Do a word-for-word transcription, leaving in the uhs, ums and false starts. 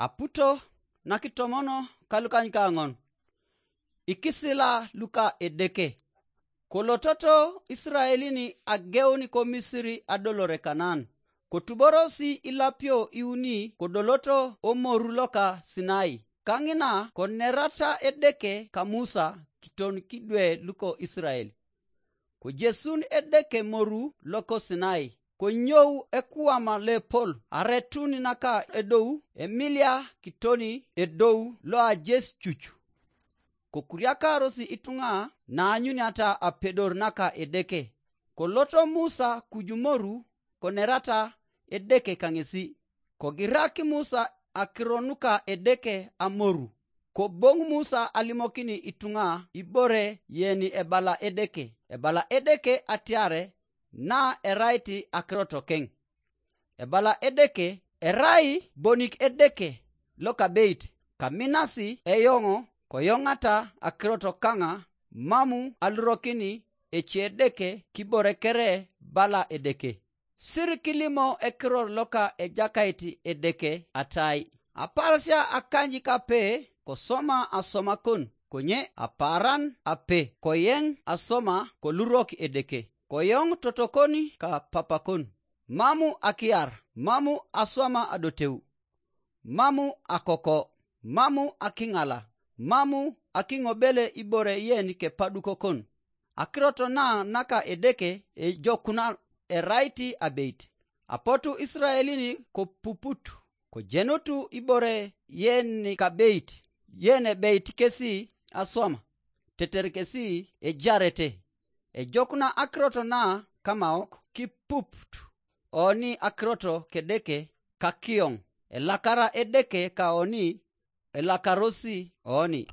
Aputo nakitomono kalukanykaŋon. Ikisila luka Edeke. Kolototo Isiraelin ageun ko Misiri adolore Kanaan. Kotuborosi ilapio iuni kodoloto omoru loka Sinai. Kaŋina konerata Edeke ka Musa kiton kidwe luko Isirael. Kojesun Edeke moru loko Sinai, konyou ekuwama lepol aretun naka edou emilia kitoni edou loajes cucu. Kokuriakarosi ituŋa naanyuniata apedor naka Edeke. Koloto Musa kujumoru konerata Edeke kaŋesi. Kogirak Musa akiro nuka Edeke amoru. Koboŋ Musa alimokini ituŋa ibore yeni ebala Edeke. Ebala Edeke atiare na erait akirot keŋ. Ebala Edeke, erai bonik Edeke lokabeit, kaminasi eyoŋ koyoŋata akirot kaŋa, mamu alurokini ece Edeke kibore kere bala Edeke. Sir kilimo ekiror loka Ejakait Edeke atai, aparasia akanykape kosoma asoma kon, konye apaaran ape koyeŋ asoma kolurok Edeke. Koyoŋ totokon ka papakon, mamu akiar, mamu aswama adoteu, mamu akoko, mamu akiŋala, mamu akiŋobele ibore yen kepadukokon. Akirot na naka Edeke ejokuna erait abeit. Apotu Isiraelin kopuput, kojenut ibore yen kabeit, yen ebeit kesi aswama, teter kesi ejarete. Ejokuna akirot na kamaok kipuput oni akirot Kedeke kakioŋ, elakara Edeke kaoni elakarosi oni.